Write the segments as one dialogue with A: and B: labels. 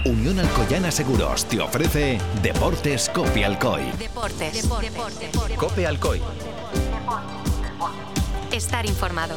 A: Unión Alcoyana Seguros te ofrece Deportes Cope Alcoy.
B: Deportes.
A: Cope Alcoy.
B: Estar informado.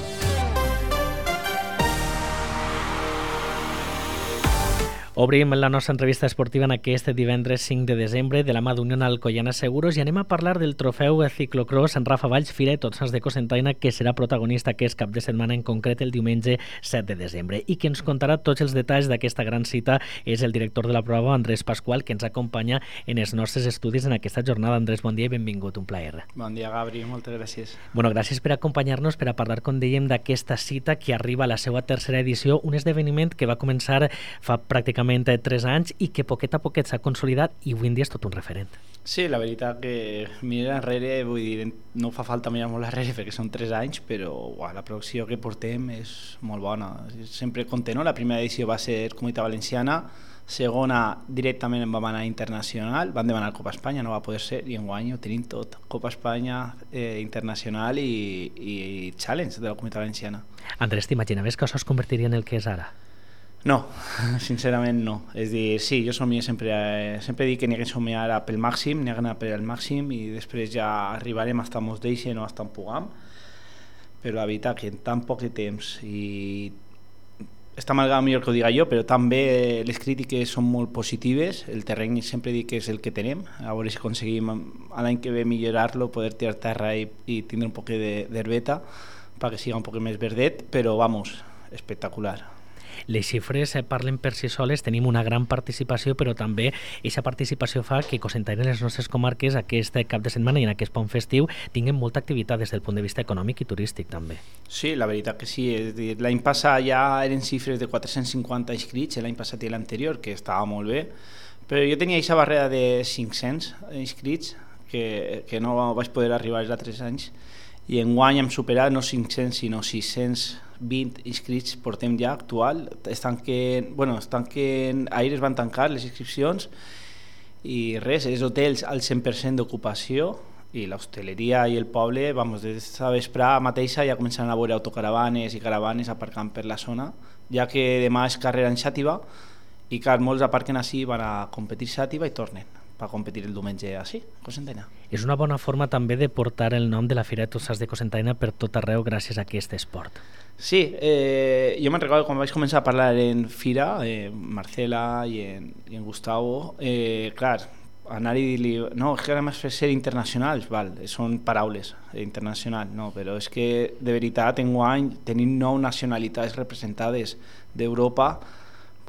C: Obrim la nostra entrevista esportiva en aquest divendres 5 de desembre de la mà d'Unió Alcoyana Seguros i anem a parlar del trofeu ciclocross en Rafa Valls Fira i Tots Sants de Cocentaina, que serà protagonista aquest cap de setmana, en concret el diumenge 7 de desembre. I qui ens contarà tots els detalls d'aquesta gran cita és el director de la prova, Andrés Pasqual, que ens acompanya en els nostres estudis en aquesta jornada. Andrés, bon dia i benvingut, un plaer.
D: Bon dia, Gabri, moltes gràcies.
C: Bueno, gràcies per acompanyar-nos, per a parlar, com dèiem, d'aquesta cita que arriba a la seva tercera edició, un esdeveniment que va començar fa pràcticament 3 anys i que poquet a poquet s'ha consolidat i avui en dia és tot un referent.
D: Sí, la veritat que mirar enrere, vull dir, no fa falta mirar molt enrere perquè són 3 anys, però la producció que portem és molt bona. Sempre content, no? La primera edició va ser Comunitat Valenciana, segona directament en vam anar internacional, van demanar Copa Espanya, no va poder ser, i enguany ho tenim tot, Copa Espanya, internacional i challenge de la Comunitat Valenciana.
C: Andrés, t'imaginaves que això es convertiria en el que és ara?
D: No, sincerament no. És dir, sí, jo somio sempre dic que n'hi ha que somiar pel màxim, n'hi ha que anar per al màxim i després ja arribarem hasta mos deixen o hasta en puguem, però la veritat que en tan poc temps i està malgrat millor que ho diga jo, però també les crítiques són molt positives, el terreny sempre dic que és el que tenim, a veure si aconseguim l'any que ve millorar-lo, poder tirar terra i tindre un poc d'herbeta perquè siga un poc més verdet, però vamos, espectacular.
C: Les xifres parlen per si soles, tenim una gran participació, però també aquesta participació fa que Cocentaina i les nostres comarques aquest cap de setmana i en aquest pont festiu tinguin molta activitat des del punt de vista econòmic i turístic també.
D: Sí, la veritat que sí, és dir, l'any passat ja eren xifres de 450 inscrits, l'any passat i l'anterior, que estava molt bé, però jo tenia aquesta barrera de 500 inscrits que no vaig poder arribar els altres anys i enguany hem superat no 500 sinó 620 inscrits portem ja actual. Ahir es van tancar les inscripcions i res, els hotels al 100% d'ocupació i l'hostaleria i el poble, des de vesprà mateixa ja començaran a veure autocaravanes i caravanes aparcant per la zona, ja que demà és carrera en Xàtiva i que molts aparquen així, van a competir Xàtiva i tornen per competir el diumenge així, Cocentaina.
C: És una bona forma també de portar el nom de la Fira de Tots Sants de Cocentaina per tot arreu gràcies a aquest esport.
D: Sí, jo me'n recordo quan vaig començar a parlar en Fira, Marcela i en Gustavo, clar, anar i dir-li, no, és que ara m'has fet ser internacionals, val, són paraules, internacional, no, però és que de veritat enguany tenim 9 nacionalitats representades d'Europa.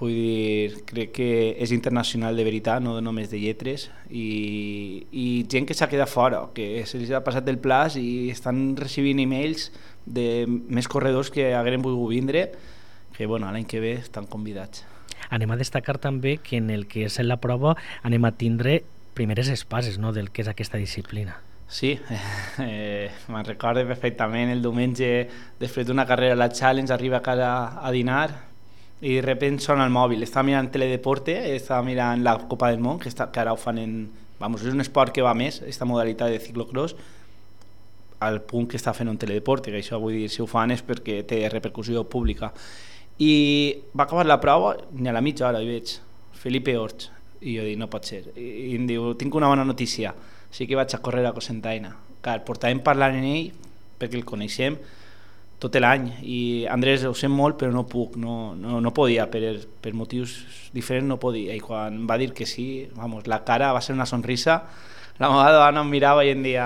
D: Vull dir, crec que és internacional de veritat, no només de lletres, i gent que s'ha quedat fora, que se'ls ha passat el plaç i estan recibint emails de més corredors que hagueren volgut vindre, que l'any que ve estan convidats.
C: Anem a destacar també que en el que és la prova anem a tindre primeres espases, no?, del que és aquesta disciplina.
D: Sí, me'n recordo perfectament el diumenge, després d'una carrera a la Challenge, arriba a casa a dinar i de repente sona el mòbil, estava mirant Teledeporte, estava mirant la Copa del Món, que ara ho fan és un esport que va més, aquesta modalitat de ciclocross, al punt que està fent un Teledeporte, que això vull dir, si ho fan és perquè té repercussió pública. I va acabar la prova, ni a la mitja hora hi veig Felipe Orts, i jo dic, no pot ser, i em diu, tinc una bona notícia, sí que vaig a córrer a Cocentaina. Clar, portàvem parlant en ell, perquè el coneixem, tot l'any, i Andrés, ho sent molt però no puc, no podia, per motius diferents no podia, i quan va dir que sí, la cara va ser una sonrisa, la meva dona em mirava i em deia,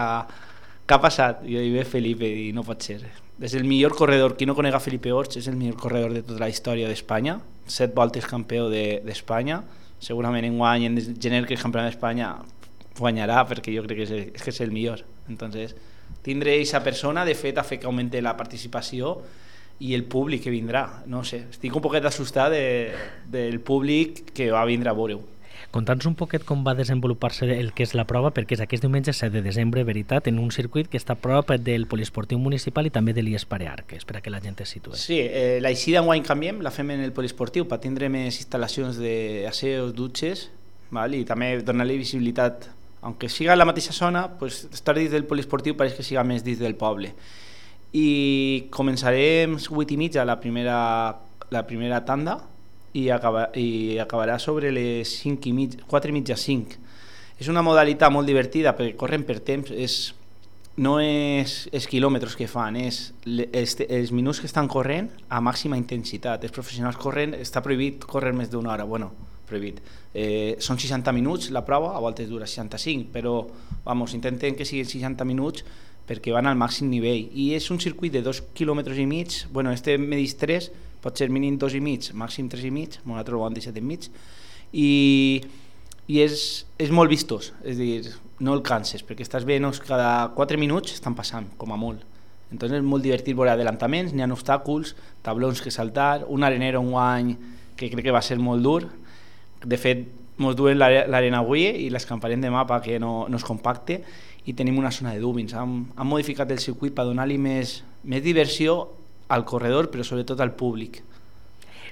D: què ha passat? I jo dic, Felipe, i no pot ser, és el millor corredor, qui no conega Felipe Orts és el millor corredor de tota la història d'Espanya, 7 voltes campió d'Espanya, segurament enguany en gener que és campió d'Espanya guanyarà perquè jo crec que és el millor. Entonces tindre aquesta persona de fet ha fet que augmenti la participació i el públic que vindrà, no sé, estic un poquet assustat del públic que va vindre a veure-ho.
C: Conta'ns un poquet com va desenvolupar-se el que és la prova, perquè és aquest diumenge 7 de desembre, veritat, en un circuit que està a prop del poliesportiu municipal i també de l'IES Parear, que és per a que la gent es situï.
D: Sí, l'eixida enguany canviem, la fem en el poliesportiu per tindre més instal·lacions d'aseos, dutxes, i també donar-li visibilitat, aunque siga en la mateixa zona, pues estar dins del poliesportiu pareix que siga més dins del poble. I començarem 8:30 la primera tanda i acabarà sobre les 4:30, 5. És una modalitat molt divertida perquè corren per temps, no és els quilòmetres que fan, és els minuts que estan corrent a màxima intensitat. Els professionals corren, està prohibit córrer més d'una hora, bueno, prohibit. Són 60 minuts la prova, a voltes dura 65, però intenten que siguin 60 minuts perquè van al màxim nivell. I és un circuit de 2,5 quilòmetres, medís 3, pot ser mínim 2,5, màxim 3,5, nosaltres ho hem deixat enmig, i és molt vistós, és a dir, no el canses, perquè estàs veient cada 4 minuts estan passant, com a molt. Entonces és molt divertit veure adelantaments, n'hi ha obstacles, tablons que saltar, un arenero enguany que crec que va ser molt dur. De fet, ens duen l'arena avui i l'escamparem demà perquè no es compacte, i tenim una zona de dúbins. Han modificat el circuit per donar-li més diversió al corredor, però sobretot al públic.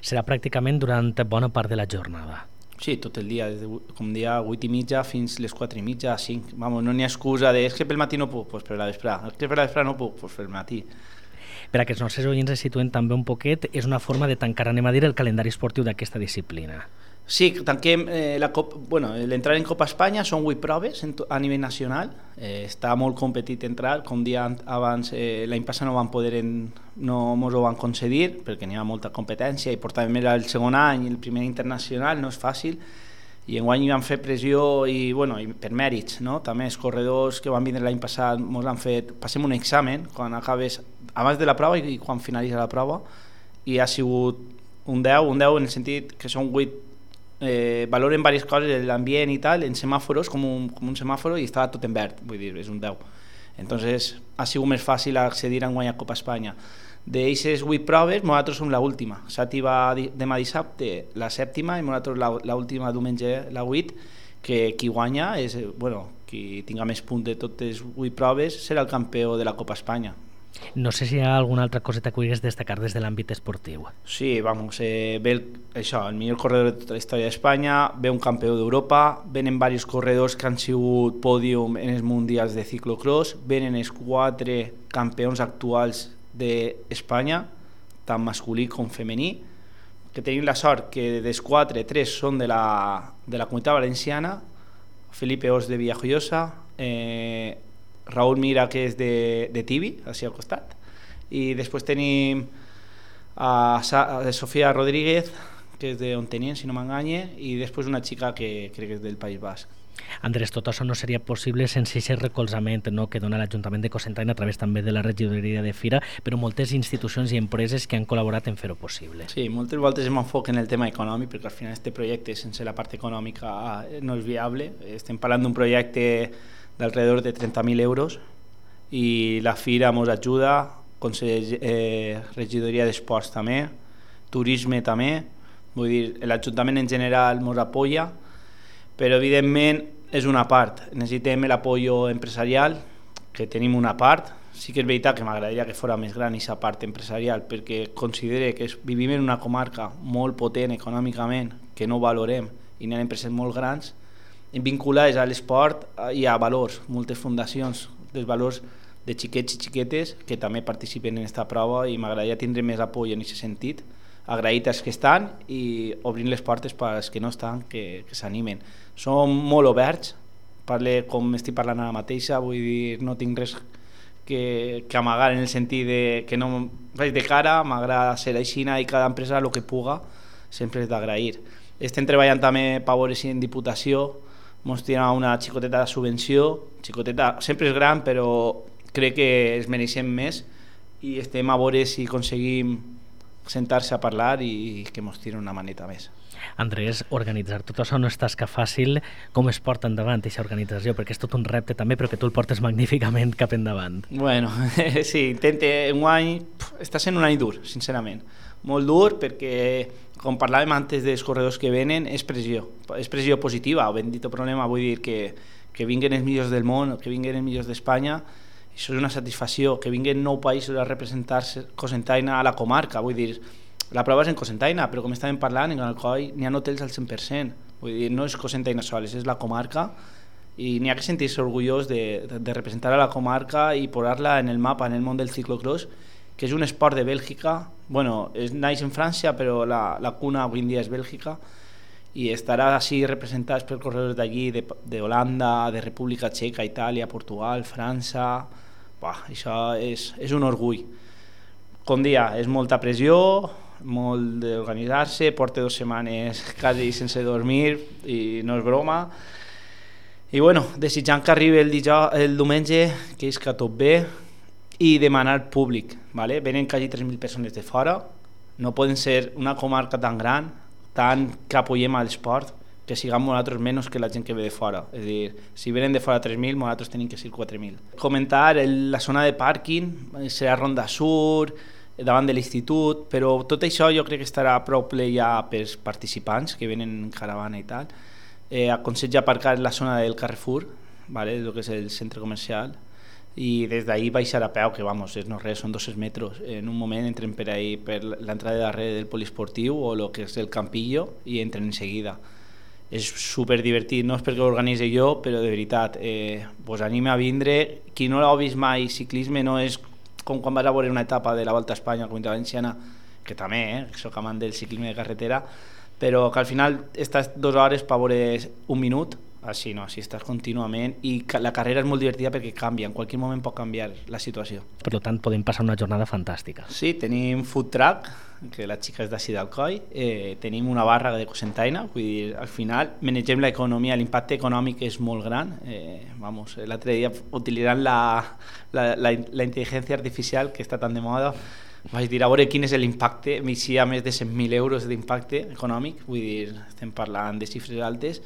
C: Serà pràcticament durant bona part de la jornada.
D: Sí, tot el dia, com dia 8:30 fins les 4:30, 5. No n'hi ha excusa de és que pel matí no puc, doncs per la vesprada. És que per la vesprada no puc, doncs pel matí.
C: Per a que els nostres oients es situen també un poquet, és una forma de tancar, el calendari esportiu d'aquesta disciplina.
D: Sí, tanquem l'entrada en Copa Espanya, són 8 proves a nivell nacional, està molt competit entrar, com dia abans l'any passat no ens ho van concedir perquè n'hi ha molta competència i portàvem el segon any, el primer internacional, no és fàcil, i enguany vam fer pressió i per mèrits, no? També els corredors que van vindre l'any passat ens han fet, passem un examen quan acabes, abans de la prova i quan finalitza la prova, i ha sigut un 10 en el sentit que són 8. Valoren diverses coses, l'ambient i tal, en semàforos, com un semàforo, i estava tot en verd, vull dir, és un 10. Entonces ha sigut més fàcil accedir a guanyar Copa Espanya. D'eixes 8 proves, nosaltres som l'última. Sati va demà dissabte la 7ª i nosaltres l'última diumenge la 8, que qui guanya és, qui tinga més punts de totes 8 proves serà el campió de la Copa Espanya.
C: No sé si hi ha alguna altra coseta que vulguis destacar des de l'àmbit esportiu.
D: Sí, ve el millor corredor de tota la història d'Espanya, ve un campió d'Europa, venen diversos corredors que han sigut pòdium en els mundials de ciclocross, venen els 4 campions actuals d'Espanya, tant masculí com femení, que tenim la sort que dels 4, 3 són de la Comunitat Valenciana, Felipe Os de Villajoyosa, Raúl Mira, que és de Tibi, així al costat, i després tenim a Sofía Rodríguez, que és d'on tenien, si no m'enganye, i després una xica que crec que és del País Basc.
C: Andrés, tot això no seria possible sense aquest recolzament que dona l'Ajuntament de Cocentaina a través també de la regidoria de Fira, però moltes institucions i empreses que han col·laborat en fer-ho possible.
D: Sí, moltes voltes m'enfoquen en el tema econòmic, perquè al final este projecte sense la part econòmica no és viable. Estem parlant d'un projecte d'alrededor de 30.000 euros i la Fira ens ajuda, regidoria d'esports també, turisme també, vull dir, l'Ajuntament en general ens apoya, però evidentment és una part, necessitem l'apoyo empresarial, que tenim una part, sí que és veritat que m'agradaria que fos més gran aquesta part empresarial, perquè considere que vivim en una comarca molt potent econòmicament, que no valorem, i n'hi ha empreses molt grans, vinculades a l'esport i a valors, moltes fundacions dels valors de xiquets i xiquetes que també participen en aquesta prova, i m'agradaria tindre més apoyo en aquest sentit, agraït als que estan i obrint les portes per als que no estan, que s'animen. Som molt oberts, com estic parlant ara mateixa, vull dir, no tinc res que amagar en el sentit que no vaig de cara, m'agrada ser així i cada empresa el que puga sempre és d'agrair. Estem treballant també per veure si en Diputació ens tira una xicoteta de subvenció, xicoteta sempre és gran, però crec que es mereixem més, i estem a veure si aconseguim sentar-se a parlar i que ens tira una maneta més.
C: Andrés, organitzar tot això no és tasca fàcil. Com es porta endavant aquesta organització? Perquè és tot un repte també, però que tu el portes magníficament cap endavant.
D: Bueno, sí, està sent un any dur, sincerament. Molt dur perquè, com parlàvem antes dels corredors que venen, és pressió positiva, o ben dit el problema, vull dir que vinguen els millors del món, que vinguen els millors d'Espanya, això és una satisfacció, que vinguen 9 països a representar-se Cocentaina a la comarca, vull dir, la prova és en Cocentaina, però com estàvem parlant, en Alcoi n'hi ha hotels al 100%, vull dir, no és Cocentaina sols, és la comarca, i n'hi ha que sentir-se orgullós de representar a la comarca i posar-la en el mapa, en el món del ciclocross, que és un esport de Bèlgica, bueno, naix en França, però la cuna avui en dia és Bèlgica, i estarà així representats per corredors d'allí, d'Holanda, de República Txeca, Itàlia, Portugal, França. Això és un orgull. Com dia, és molta pressió, molt d'organitzar-se, porta 2 setmanes quasi sense dormir i no és broma. I bueno, desitjant que arribi el diumenge, que és que tot bé, i demanar públic, ¿vale? Venen quasi 3.000 persones de fora, no poden ser una comarca tan gran, tant que apoyem a l'esport, que siguem nosaltres menys que la gent que ve de fora. És a dir, si venen de fora 3.000, nosaltres tenim que ser 4.000. Comentar, la zona de pàrquing serà Ronda Sur, davant de l'institut, però tot això jo crec que estarà prou ple ja pels participants que venen en caravana i tal. Aconsello aparcar la zona del Carrefour, ¿vale? El que és el centre comercial, i des d'ahí baixar a peu, que vamos, no res, són 200 metres. En un moment entren per ahí, per l'entrada de darrere del poliesportiu o el que és el Campillo, i entren en seguida. És super divertit, no és perquè ho organitzi jo, però de veritat, vos anima a vindre. Qui no l'ha vist mai, ciclisme no és com quan vas a veure una etapa de la Volta a Espanya, la Comunitat Valenciana, que també, soc amant del ciclisme de carretera, però que al final estàs 2 hores per veure un minut. Així no, així estàs contínuament, i la carrera és molt divertida perquè canvia, en qualsevol moment pot canviar la situació.
C: Per tant, podem passar una jornada fantàstica.
D: Sí, tenim food truck, que la xica és d'ací d'Alcoi, tenim una barra de cosentaina, vull dir, al final manegem l'economia, l'impacte econòmic és molt gran. L'altre dia utilitzant la intel·ligència artificial, que està tan de moda, vaig dir a veure quin és l'impacte, m'eixia més de 100.000 euros d'impacte econòmic, vull dir, estem parlant de xifres altes,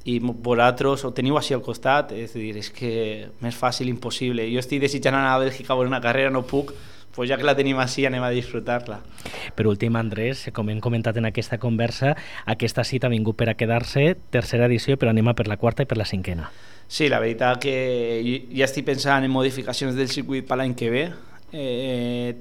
D: i vosaltres ho teniu així al costat, és a dir, és que més fàcil impossible. Jo estic desitjant anar a Bèlgica a veure una carrera, no puc, pues ja que la tenim així anem a disfrutar-la.
C: Per últim, Andrés, com hem comentat en aquesta conversa, aquesta cita ha vingut per a quedar-se, 3a edició, però anem a per la 4a i per la 5a.
D: Sí, la veritat que ja estic pensant en modificacions del circuit per l'any que ve.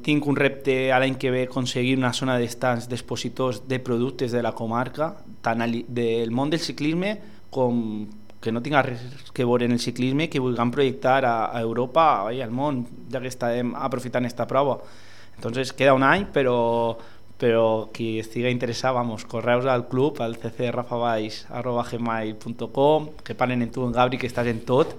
D: Tinc un repte a l'any que ve aconseguir una zona d'estants d'expositors de productes de la comarca, tant del món del ciclisme com que no tinga res que veure en el ciclisme, que vulguem projectar a Europa i al món, ja que estem aprofitant aquesta prova. Entonces queda un any, però qui estigui interessat, correus al club, al ccrafavall@gmail.com, que parlen en tu, en Gabri, que estàs en tot,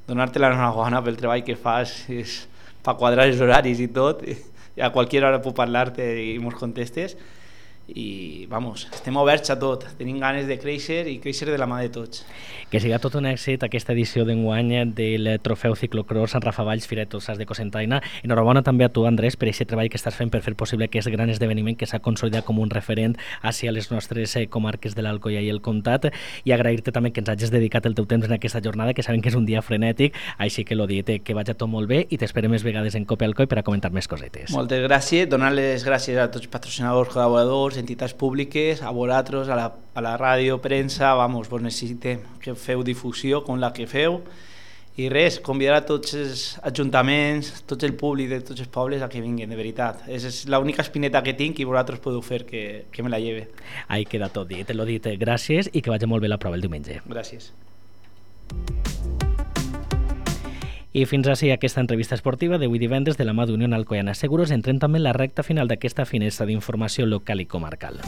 D: donar-te l'enhorabona pel treball que fas, és per quadrar els horaris i tot, i a qualsevol hora puc parlar-te i mos contestes. I estem oberts a tot, tenim ganes de créixer i créixer de la mà de tots.
C: Que siga tot un èxit aquesta edició d'enguany del trofeu ciclocross en Rafa Valls, Fira de Tossals de Cocentaina. Enhorabona també a tu, Andrés, per aquest treball que estàs fent per fer possible aquest gran esdeveniment que s'ha consolidat com un referent hacia les nostres comarques de l'Alcoia i el Comtat, i agrair-te també que ens hagis dedicat el teu temps en aquesta jornada, que sabem que és un dia frenètic, així que l'ho dit, que vagi tot molt bé i t'esperem més vegades en Cope Alcoi per a comentar més cosetes.
D: Moltes gràcies, donar les gràcies a tots els patrocinadors, col·laboradors, entitats públiques, a vosaltres, a la ràdio, premsa, vos necessitem que feu difusió com la que feu, i res, convidar a tots els ajuntaments, tot el públic de tots els pobles a que vinguin, de veritat. És l'única espineta que tinc i vosaltres podeu fer que me la lleve.
C: Ahí queda tot dit, l'ho dit, gràcies i que vagi molt bé la prova el diumenge.
D: Gràcies.
C: I fins així aquesta entrevista esportiva d'avui divendres de la mà d'Unió Alcoiana Seguros. Entrem també en la recta final d'aquesta finestra d'informació local i comarcal.